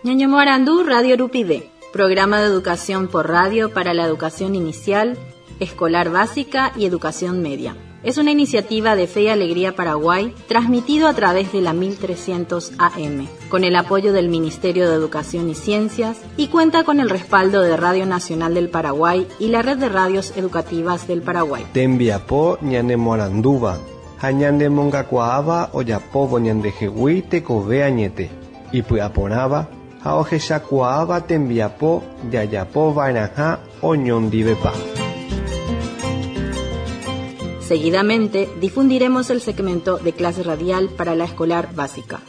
Ñañomoarandu Radio Rupive, programa de educación por radio para la educación inicial, escolar básica y educación media. Es una iniciativa de Fe y Alegría Paraguay, transmitido a través de la 1300 AM, con el apoyo del Ministerio de Educación y Ciencias y cuenta con el respaldo de Radio Nacional del Paraguay y la Red de Radios Educativas del Paraguay. Tembiapo ñanemoarandúva ha ñanemongakuaáva ojapóvo ñandehegui tekove añete, ipy'aporãva ha ohechakuaáva tembiapo jajapova'erãha oñondivepa. Seguidamente difundiremos el segmento de clase radial para la escolar básica.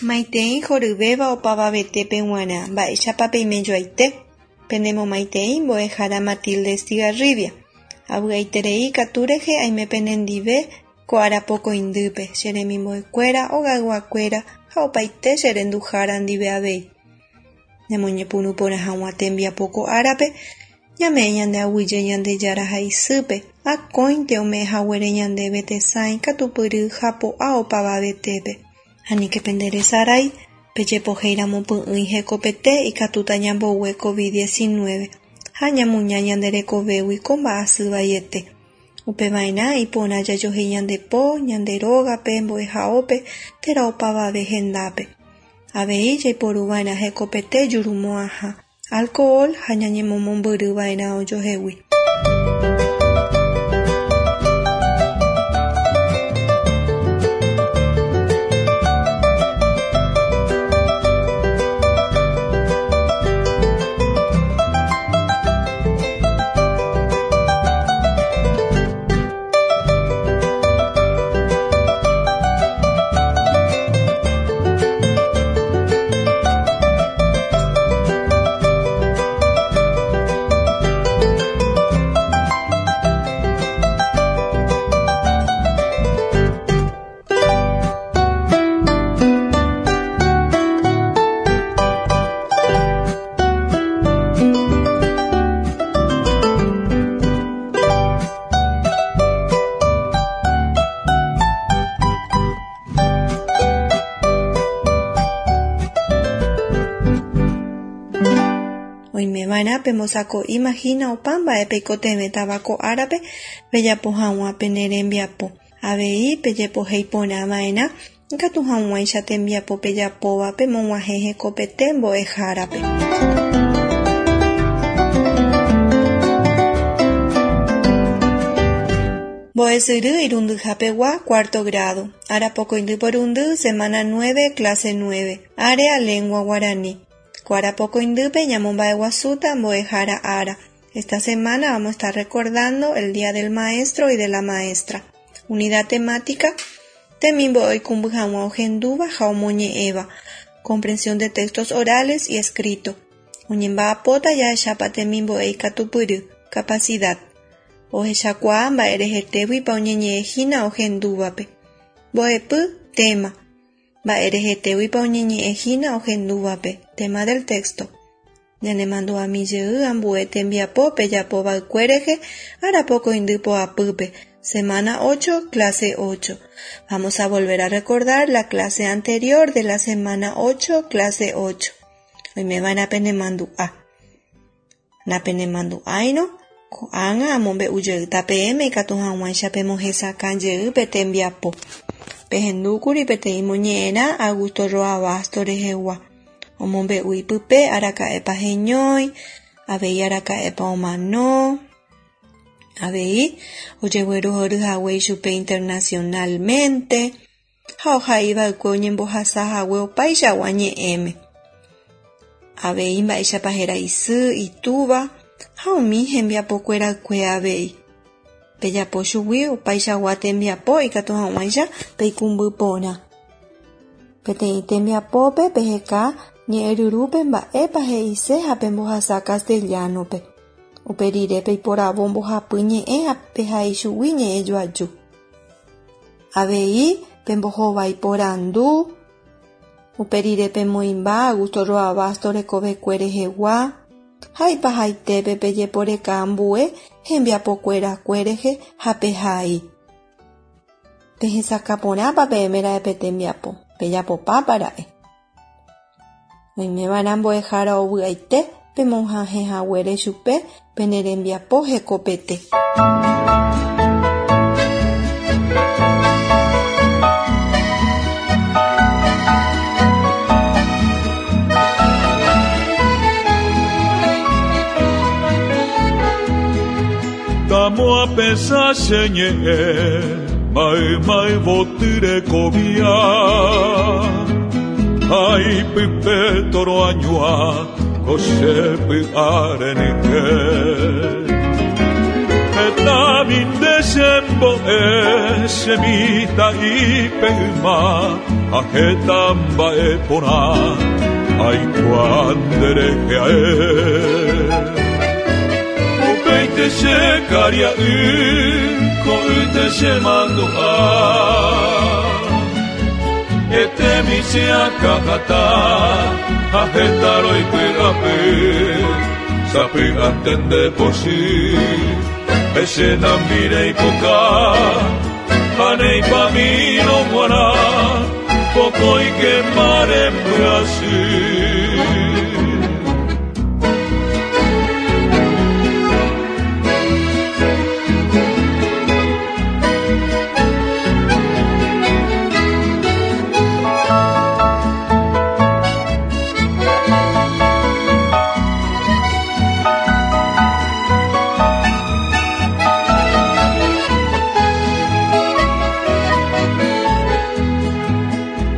Maitei horyvéva opavavetépe g̃uarã, mba'éichapa peimejoaite? Penemomaitei mbo'ehára Matilde Estigarribia. Avy'aiterei katu rehe aime penendive ko arapokõindýpe, che remimbo'ekuéra, ogayguakuéra ha opaite che renduhára ndive avei. Ñamoñepyrũ porã hag̃ua tembiapo ko árape, ñame'ẽ ñande aguyje Ñandejára ha isýpe, akóinte ome'ẽ haguére ñandéve tesãi katupyry ha po'a opavavetépe. Aníke penderesarái, pejepohéiramo py'ỹi hekopete ikatúta ñambogue COVID-19 ha ñamuña ñande rekovégui ko mba'asy vaiete. Upeva'erã iporã jajohéi ñande po, ñande rógape, mbo'ehaópe térã opavave hendápe. Avei jaiporuva'erã hekopete jurumo'ãha, alcohol ha ñañemomombyryva'erã ojohegui. Oimeva'erã pembosako'íma hína opa mba'e peikotevẽtava ko árape pejapo hag̃ua pene rembiapo. Avei pejepohéi porã va'erã ikatu hag̃uáicha tembiapo pejapóva pemog̃uahẽ hekopete mbo'ehárape. Mbo'esyry irundyhapegua cuarto grado, arapokõindy porundy, semana nueve, clase nueve, área lengua guarani. Ko arapokõindýpe ñamomba'eguasúta mbo'ehára ára. Esta semana vamos a estar recordando el Día del Maestro y de la Maestra. Unidad temática, Temimbo'e oikũmby hag̃ua ohendúva ha omoñe'ẽva, Comprensión de textos orales y escrito. Oñemba'apóta jahechápa temimbo'e ikatupyry, capacidad. Ohechakuaa mba'e rehetéguipa oñeñe'ẽhína ohendúvape. Mbo'epy, tema. Mba'e rehetéguipa oñeñe'ẽhína ohendúvape, tema del texto. Ñanemandu'ami jey ambue tembiapo pejapova'ekue rehe arapokõindy poapýpe, semana ocho, clase ocho. Vamos a volver a recordar la clase anterior de la semana ocho, clase ocho. Oimeva'erã penemandu'a. Napenemandu'áirõ, ko'ág̃a amombe'u jeýta peẽme ikatu hag̃uáicha pemohesakã jey pe tembiapo. Pehendúkuri peteĩ moñe'ẽrã Augusto Roa Bastos rehegua. Omombe'u ipype araka'épa heñói, avei araka'épa omano. Avei ojeguerohory hague ichupe internacionalmente ha ohaiva'ekue oñembohasa hague opaichagua ñe'ẽme. Avei mba'éichapa héra isy, itúva ha umi hembiapokuerakue avei. Pejapo chugui opaichagua tembiapo ikatu hag̃uáicha peikũmby porã. Peteĩ tembiapópe peheka ñe'ẽryrúpe mba'épa he'ise ha pembohasa castellano-pe. Upe rire peiporavo mbohapy ñe'ẽ ha pehai chugui ñe'ẽ joaju. Avei Pembohovái porandu, upe rire pemoĩmba Augusto Roa Bastos rekovekue rehegua ha ipahaitépe pejeporeka ambue hembiapokuerakue rehe ha pehai. Pehesakã porãpa peẽme ra'e pe tembiapo, pejapopápa ra'e. Oimeva'erã mbo'ehára ovy'aite pemoha'ẽhaguére chupe pene rembiapo hekopete. Tamo apensá che ñe'ẽ mayma yvoty rekovia Ha ipype toroañua ko che py'a renyhẽ. Hetami nde chembo'e che mitã'ípe yma ha heta mba'e porã aikuaa nde rehe ae. Upéinte che karia'y ko'ýte che mandu'a. Etemi che akã hatã ha heta roipy'apy sapy'ánte nde pochy pe che nambi reipoka ha neipamírõ g̃uarã pokõike marembyasy.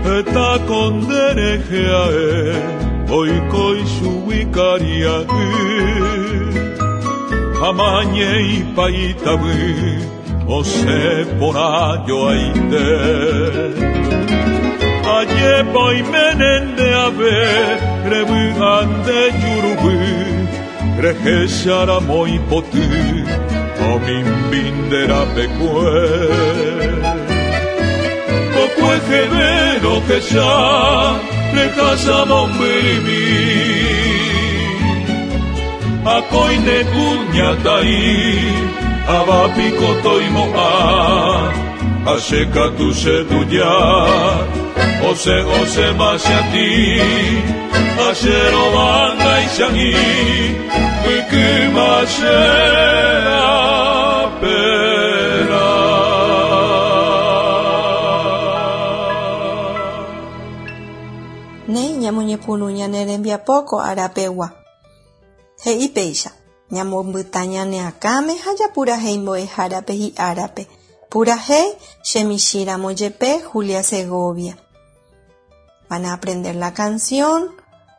Heta ko nde rehe ae oiko ichugui karia'y ha mañeipa itavy osẽ porã joaite. Ajépa oiméne nde ave revy'a nde juruvy rehecha ramo ipoty ha omimbi nde rapekue. Kokueheve rohecha rehasa mombyrymi akói ne kuñataĩ ava piko toimo'ã ha che katu che tuja osẽ osẽma che atĩ ha che rovangaichag̃ui mbykyma che raperã. Néi ñamoñepyrũ ñane rembiapo ko arapegua. He'i péicha, Ñamombyta ñane akãme ha japurahéi mbo'ehárape hi'árape. Purahéi, Che michĩramo jepe, Julia Segovia. Van a aprender la canción,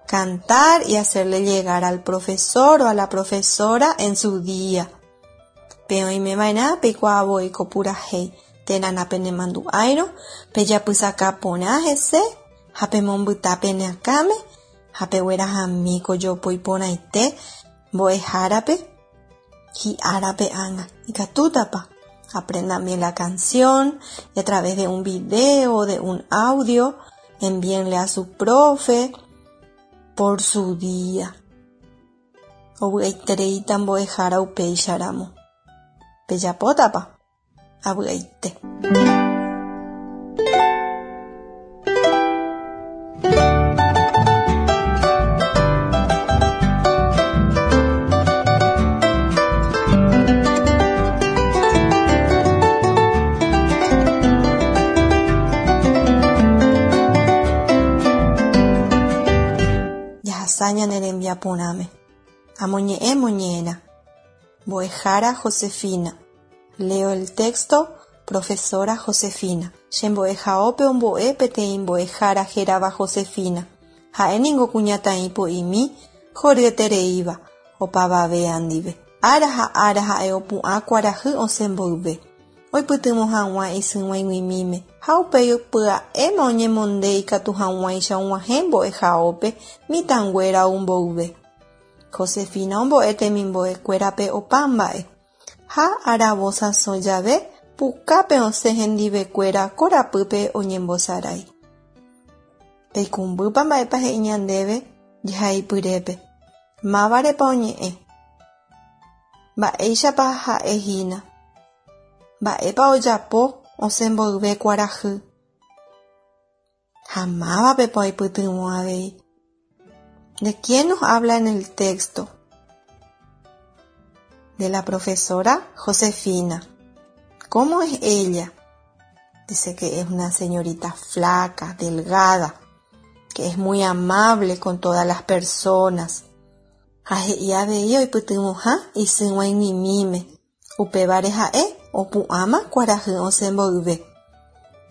cantar y hacerle llegar al profesor o a la profesora en su día. Pe oime va'erã peikuaa voi ko purahéi, térã napenemandu'áirõ, pejapysaka porã hese ha pemombyta pene akãme ha peguerahami ko jopói porãite mbo'ehárape hi'árape ág̃a. Ikatútapa? Aprendan bien la canción y a través de un video, de un audio, envíenle a su profe por su día. Ovy'aitereíta mbo'ehára upéicharamo. Pejapótapa? Avy'aite. Jahasa ñane rembiaporãme. Amoñe'ẽ moñe'ẽrã. Mbo'ehára Josefina. Leo el texto, Profesora Josefina. Che mbo'ehaópe ombo'e peteĩ mbo'ehára hérava Josefina. Ha'e ningo kuñataĩ po'imi horyetereíva, opavavea ndive. Ára ha ára ha'e opu'ã kuarahy osẽ mboyve, oipytyvõ hag̃ua isyg̃uaig̃uimíme, ha upéi pya'éma oñemonde ikatu hag̃uáicha og̃uahẽ mbo'ehaópe mitãnguéra ou mboyve. Josefina ombo'e temimbo'ekuérape opa mba'e. Ha aravo sãso jave Pukápe osẽ hendivekuéra korapýpe oñembosarái. Peikũmbýpa mba'épa he'i ñandéve jehaipyrépe. Mávarepa oñe'ẽ. Mba'éichapa ha'ehína. Mba'épa ojapo osẽ mboyve kuarahy. Ha mávapepa oipytyvõ avei. ¿De quién nos habla en el texto? De la profesora Josefina. ¿Cómo es ella? Dice que es una señorita flaca, delgada, que es muy amable con todas las personas. Ha he'i avei oipytyvõha isy g̃uaig̃uimíme, upévare ha'e opu'ãma kuarahy osẽ mboyve.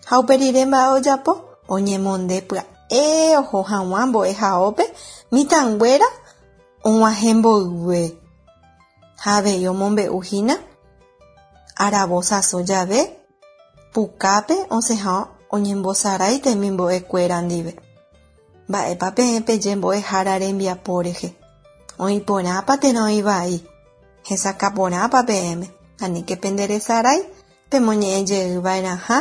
Ha upe rire mba'e ojapo, oñemonde pya'e oho hag̃ua mbo'ehaópe mitãnguéra og̃uahẽ mboyve. Ha avei omombe'u hína aravo sãso jave pukápe osẽha oñembosarái temimbo'ekuéra ndive. Mba'épa peẽ peje mbo'ehára rembiapo rehe. Oĩ porãpa térã oĩ vai. Hesakã porãpa peẽme. Aníke penderesarái pemoñe'ẽ jey va'erãha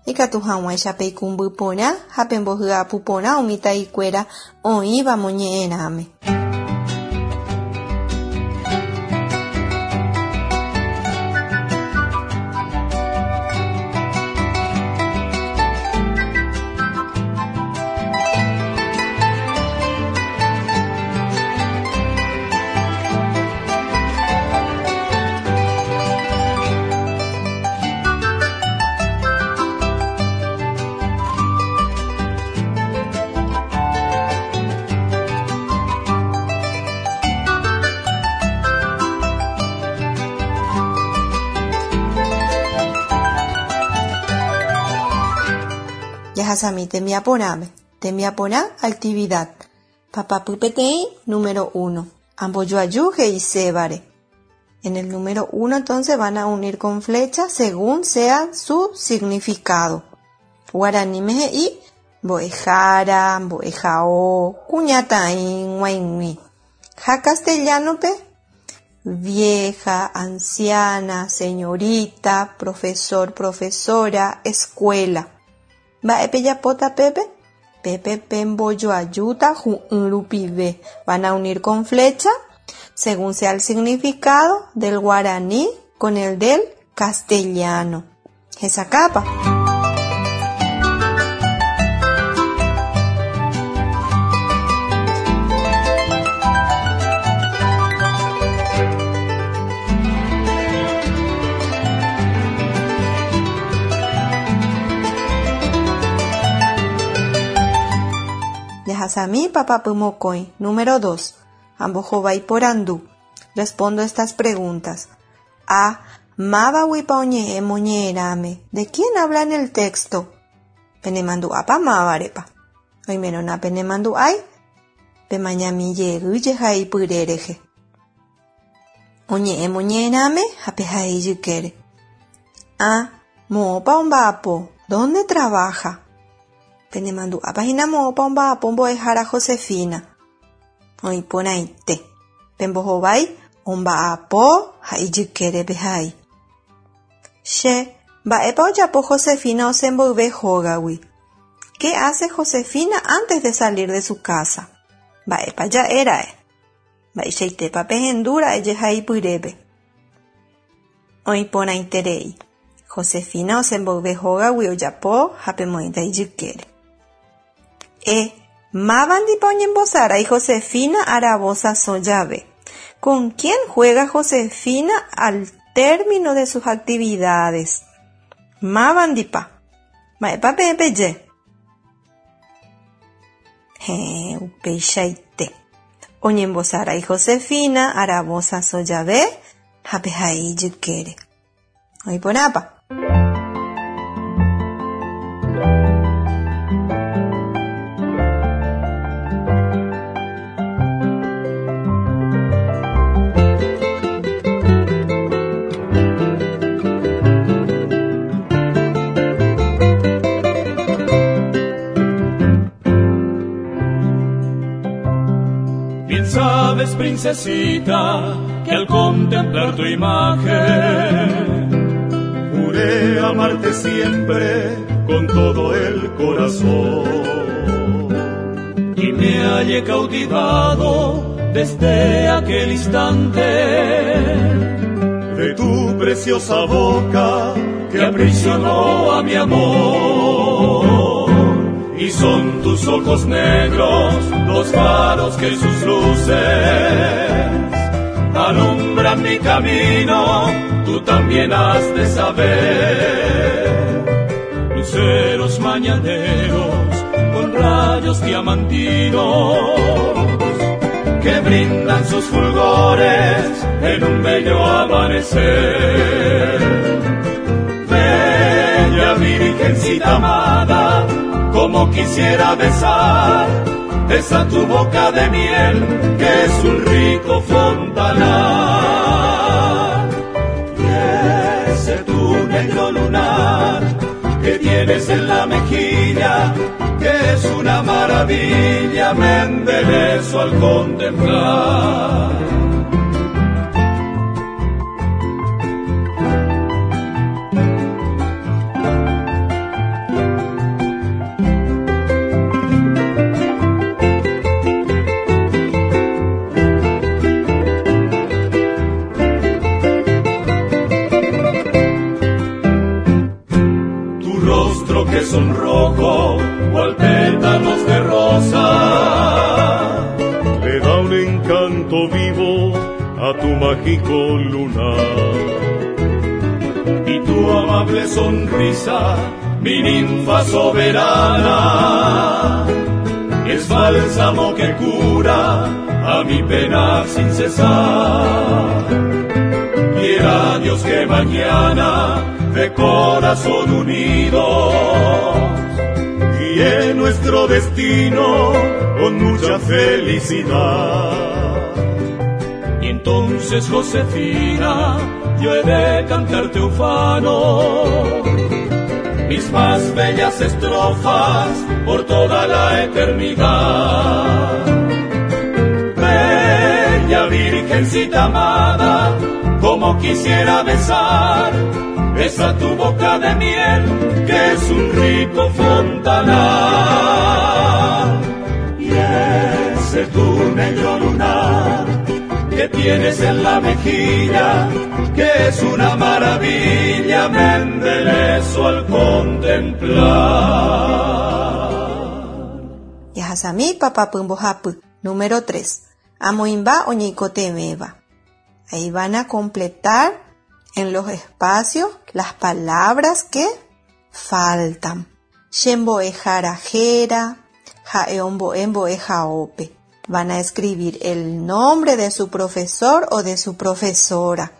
ikatu hag̃uáicha peikũmby porã ha pembohyapu porã umi ta'ikuéra oĩva moñe'ẽrãme. Jahasami tembiaporãme. Tembiaporã actividad. Papapy peteĩ, número uno. Ambojoaju he'isévare. En el número uno entonces van a unir con flecha según sea su significado. Guaraníme he'i mbo'ehára, mbo'ehao, kuñataĩ, g̃uaig̃ui. Ha castellano-pe vieja, anciana, señorita, profesor, profesora, escuela. Mba'e pejapóta pépe? Pépe pembojoajúta hu'ỹ rupive. Van a unir con flecha según sea el significado del guaraní con el del castellano. Hesakãpa. Jahasami papapy mokõi, número dos. Ambohovái porandu. Respondo estas preguntas. A. Mávaguipa oñe'ẽ moñe'ẽrãme. ¿De quién habla en el texto? Penemandu'ápa mávarepa. Oimérõ napenemandu'ái, pemañami jey jehaipyre rehe. Oñe'ẽ moñe'ẽrãme ha pehai ijykére. A. Moõpa omba'apo. ¿Dónde trabaja? Penemandu'ápa hína moõpa omba'apo mbo'ehára Josefina. Oĩ porãite. Pembohovái omba'apo ha ijykére pehai. Che, mba'épa ojapo Josefina osẽ mboyve hógagui. ¿Qué hace Josefina antes de salir de su casa? Mba'épa ja'éra'e. Mba'eichaitépa pehendúra'e jehaipyrépe. Oĩ porãiterei. Josefina osẽ mboyve hógagui ojapo ha pemoĩta ijykére. E. Mávandipa oñembosarái Josefina aravo sãso jave. ¿Con quién juega Josefina al término de sus actividades? Mávandipa. Mba'épa peẽ peje? Héẽ, upeichaite. Oñembosarái Josefina aravo sãso jave ha pehai ijykére. Oĩ porãpa. Bien sabes, princesita, que al contemplar tu imagen, juré amarte siempre con todo el corazón. Y me hallé cautivado desde aquel instante de tu preciosa boca que aprisionó a mi amor. Y son tus ojos negros los faros que sus luces alumbran mi camino, tú también has de saber. Luceros mañaneros con rayos diamantinos que brindan sus fulgores en un bello amanecer. Bella virgencita amada, como quisiera besar esa tu boca de miel, que es un rico fontanar. Y ese tu negro lunar que tienes en la mejilla, que es una maravilla, me embelezo al contemplar. Tu rostro que sonrojo, cual pétalos de rosa, le da un encanto vivo a tu mágico lunar. Y tu amable sonrisa, mi ninfa soberana, es bálsamo que cura a mi pena sin cesar. Quiera Dios que mañana, de corazón unidos, guíe nuestro destino con mucha felicidad. Y entonces, Josefina, yo he de cantarte ufano mis más bellas estrofas por toda la eternidad. Bella virgencita amada, como quisiera besar esa tu boca de miel, que es un rico fontanar. Y ese tu negro lunar que tienes en la mejilla, que es una maravilla, me embelezo al contemplar. Yahasami papapy mbohapy, número 3. Amoĩmba oñeikotevẽva. Ahí van a completar en los espacios las palabras que faltan. Che mbo'ehára héra, ha'e ombo'e mbo'ehaópe. Van a escribir el nombre de su profesor o de su profesora.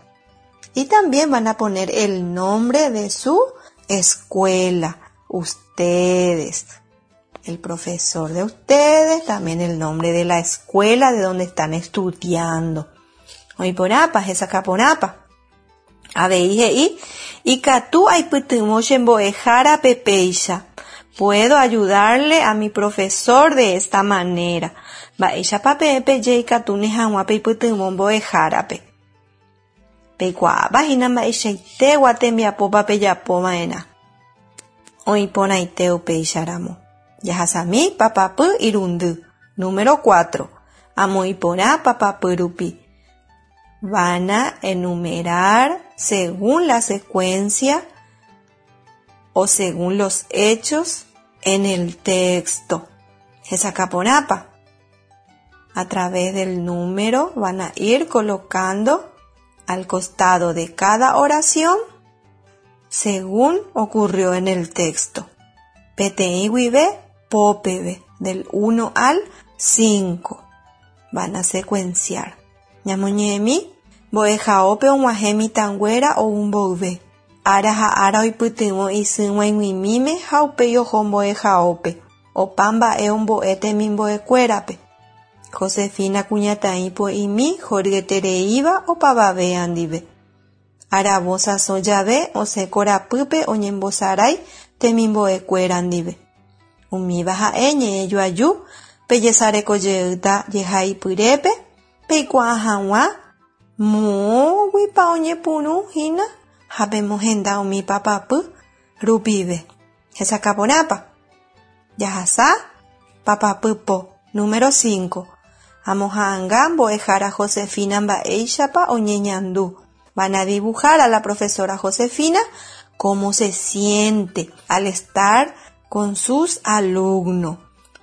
Y también van a poner el nombre de su escuela. Ustedes. El profesor de ustedes, también el nombre de la escuela de donde están estudiando. Oĩporãpa, hesakãporãpa. Avei he'i, Ikatu aipytyvõ che mbo'ehárape péicha. Puedo ayudarle a mi profesor de esta manera. Mba'éichapa peẽ peje ikatúne hag̃ua peipytyvõ mbo'ehárape. Peikuaápa hína mba'eichaitegua tembiapópa pejapova'erã. Oĩporãite upéicharamo. Jahasami papapy irundy. Número 4. Amoĩporã papapy rupi. Van a enumerar según la secuencia o según los hechos en el texto. Hesakãporãpa. A través del número van a ir colocando al costado de cada oración según ocurrió en el texto. Peteĩ guive po peve, del 1 al 5. Van a secuenciar. Ñamoñe'ẽmi, Mbo'ehaópe og̃uahẽ mitãnguéra ou mboyve. Ára ha ára oipytyvõ isy g̃uaig̃uimíme ha upéi oho mbo'ehaópe. Opa mba'e ombo'e temimbo'ekuérape. Josefina kuñataĩ po'imi horyetereíva opavavéa ndive. Aravo sasõ jave osẽ korapýpe oñembosarái temimbo'ekuéra ndive. Umíva ha'e ñe'ẽ joaju pejesarekojeýta jehaipyrépe peikuaa hag̃ua moõguipa oñepyrũ hína ha pemohenda umi papapy Rupive. Hesakã porãpa. Jahasa papapy po. Número 5. Amoha'anga mbo'ehára Josefina mba'éichapa oñeñandu. Van a dibujar a la profesora Josefina cómo se siente al estar con sus alumnos.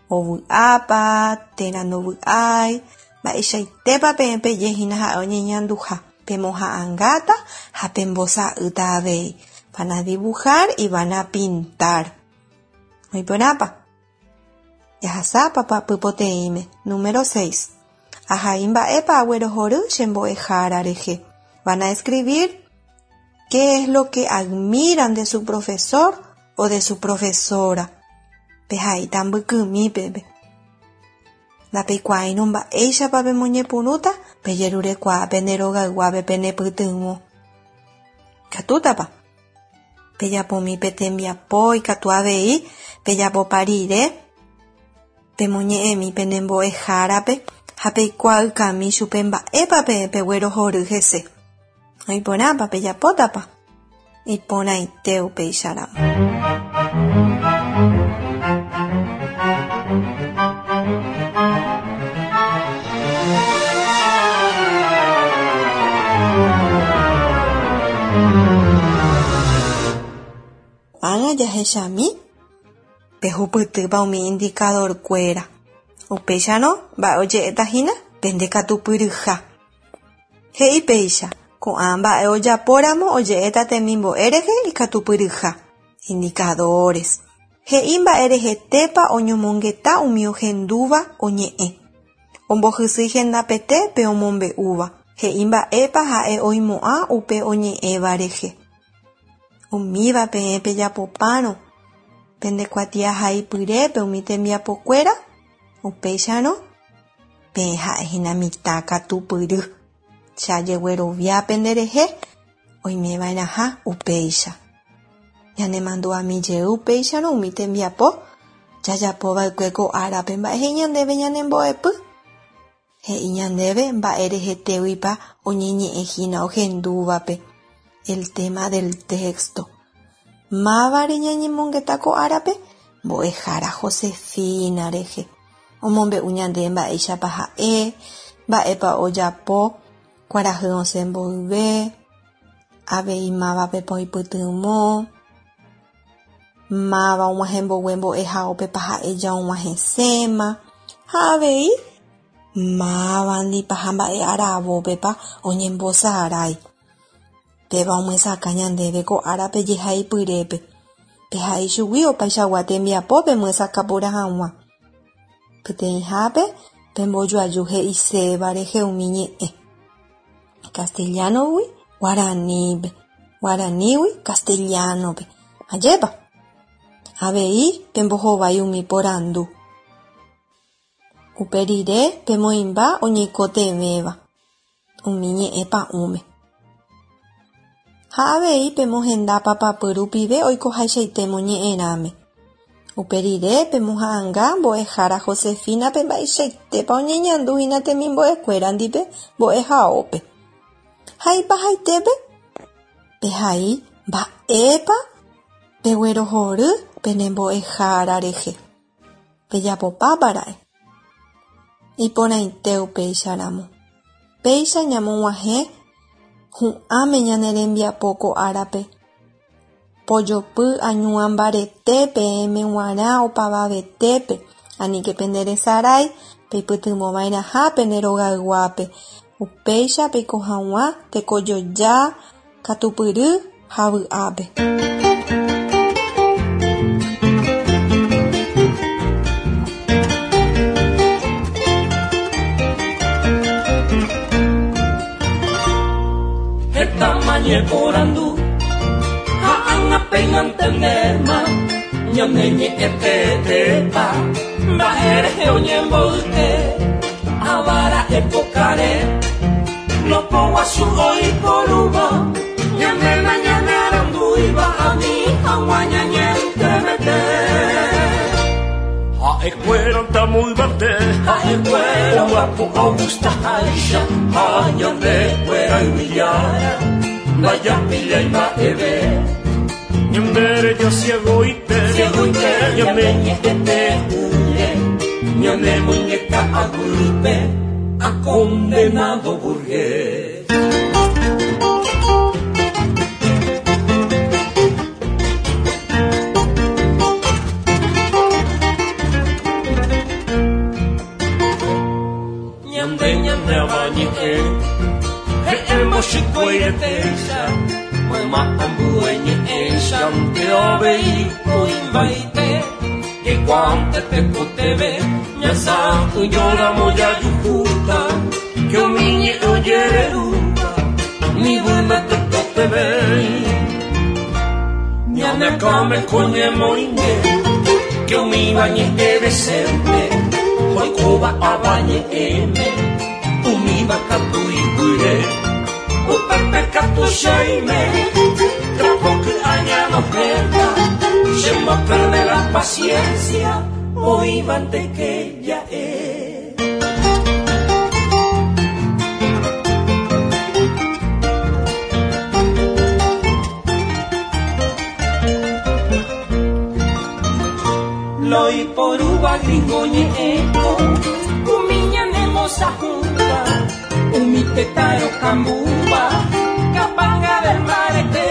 Ovy'ápa térã ndovy'ái, mba'eichaitépa peẽ peje hína ha'e oñeñanduha. Pemoha'angáta ha pembosa'ýta avei. Van a dibujar y van a pintar. Oĩporãpa? Jahasa papapy poteĩme. Número 6. Ahai mba'épa aguerohory che mbo'ehára rehe. Van a escribir qué es lo que admiran de su profesor o de su profesora. Pehaíta mbykymi peve. Ndapeikuaáirõ mba'éichapa pemoñepyrũta pejerurekuaa pende rogayguápe penepytyvõ. Ikatútapa? Pejapomi pe tembiapo ikatu avei pejapopa rire pemoñe'ẽmi pene mbo'ehárape ha peikuaaykami chupe mba'épa peẽ peguerohory hese. Oĩporãpa pejapótapa? Iporãite upéicharamo. Ág̃a jahechami pehupytýpa umi indicador-kuéra. Upéicharõ mba'e oje'éta hína pendekatupyryha. He'i péicha, ko'ã mba'e ojapóramo oje'éta temimbo'e rehe ikatupyryha. Indicadores. He'i mba'e rehetépa oñomongeta umi ohendúva oñe'ẽ. Ombohysýi hendapete pe omombe'úva. He'i mba'épa ha'e oimo'ã upe oñe'ẽva rehe. Umíva peẽ pejapopárõ pendekuatiahaipyrépe umi tembiapokuéra, upéicharõ peẽ ha'ehína mitã katupyry. Che ajeguerovia penderehe oimeva'erãha upéicha. Ñanemandu'ami jey upéicharõ umi tembiapo jajapova'ekue ko árape mba'e he'i ñandéve ñanembo'epy. He'i ñandéve mba'e rehetéguipa oñeñe'ẽhína ohendúvape. El tema del texto. Mávare ñañemongeta ko árape? Mbo'ehára Josefina rehe. Omombe'u ñande mba'éichapa ha'e, mba'épa ojapo, kuarahy osẽ mboyve, avei mávapepa oipytyvõ, máva og̃uahẽ mbogue mbo'ehaópepa ha'e ja og̃uahẽséma, ha avei mávandipa ha mba'e aravópepa oñembosarái. Péva omyesakã ñandéve ko árape jehaipyrépe. Pehai chugui opaichagua tembiapo pemyesakã porã hag̃ua. Peteĩhápe pembojoaju he'iséva rehe umi ñe'ẽ. Castellano-gui guaranípe, guaranígui castellano-pe. Ajépa? Avei pembohovái umi porandu. Upe rire pemoĩmba oñeikotevẽva umi ñe'ẽ pa'ũme. Ha avei pemohenda papapy rupive oikohaichaite moñe'ẽrãme. Upe rire pemoha'anga mbo'ehára Josefina-pe mba'eichaitépa oñeñanduhína temimbo'ekuéra ndive mbo'ehaópe. Ha ipahaitépe pehai mba'épa peguerohory pene mbo'ehára rehe. Pejapopápara'e. Iporãite upéicharamo. Péicha ñamog̃uahẽ hu'ãme ñane rembiapo ko árape. Pojopy añuã mbarete peẽme g̃uarã opavavetépe, aníke penderesarái peipytyvõva'erãha pende rogayguápe. Upéicha peiko hag̃ua tekojoja, katupyry ha vy'ápe. Heta ñeporandu ha ág̃a péina antendéma ñane ñe'ẽtetépa mba'e rehe oñemboyke avara'e pokare lopoguasu oiporúva ñanéma ñanearandúiva ani hag̃ua ñañentevete. Ha'ekuéranta muyvate ha'ekuéra oguapo ogustaháicha ha ñandekuéra yvyjára ndajapillái mba'eve. Ñande ciegoite, ciegoite, ñane ñe'ẽte ỹre, ñane moingeka aguýpe, a condenado burgués. Ñande ñande avañe'ẽ, he'ẽ mbochykue-retéicha, mayma ambue ñe'ẽichante avei oĩmbaite, jaikuaánte tekotevẽ, ñasã'ỹjóramo jajuhúta, que umi ñe'ẽ ojererúva, ni vyme tekotevẽi. Ñane akãme ko ñemoĩnge, que umíva ñe'ẽ decente, oikóva avañe'ẽme, umíva katu iguýre, upépe katu cheime, trapo ky'a ñanohẽta, chemboperde la paciencia, oĩvanteke ja'e. Loiporúva gringo ñe'ẽko, umi ñanemosãhũva, umi tetã rokambúva, kapanga del mbarete,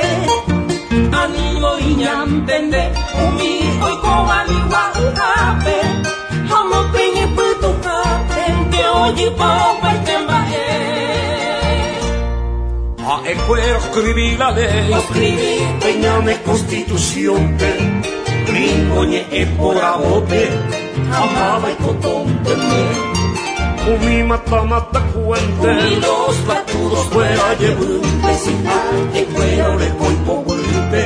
ani voi ñantende, umi oikóva nigua'ỹhápe, ha omopeñepytũhápente ojypa opaite mba'e. Ha'ekuéra oscribí la ley, Oscribí. pe ñane constitución-pe, gringo ñe'ẽ poravópe, ha máva ikotónteme. Umi mata mata cuente, Umi los patudos fuera jevýnte, si ha'ekuéra oreko ipoguýpe,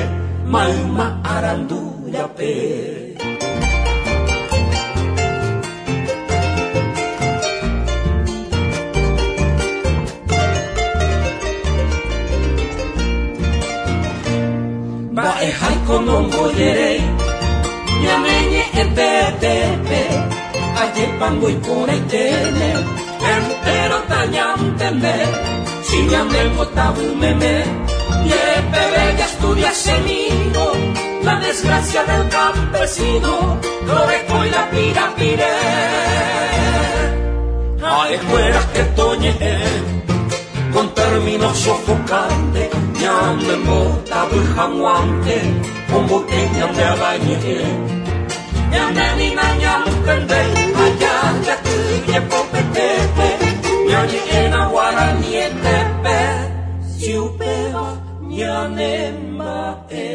mayma arandu rape. Mba'eháiko nombojeréi, ñane ñe'ẽtetépe, ajépango iporãiténe, entero tañantende, si ñanembotavymeme, jepeve jaestudiasemíro, la desgracia del campesino, lorekói la pirapire. Ha'ekuéra hetoñe'ẽ, con términos sofocantes, ñanembotavy hag̃uánte, ombo'e ñande avañe'ẽ. Ñande ni nañantendéi, ha jajaty jepopetépe, ñañe'ẽna guaranietépe, si upéva ñanemba'e.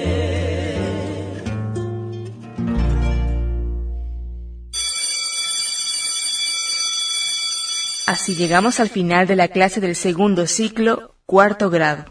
Así llegamos al final de la clase del segundo ciclo, cuarto grado.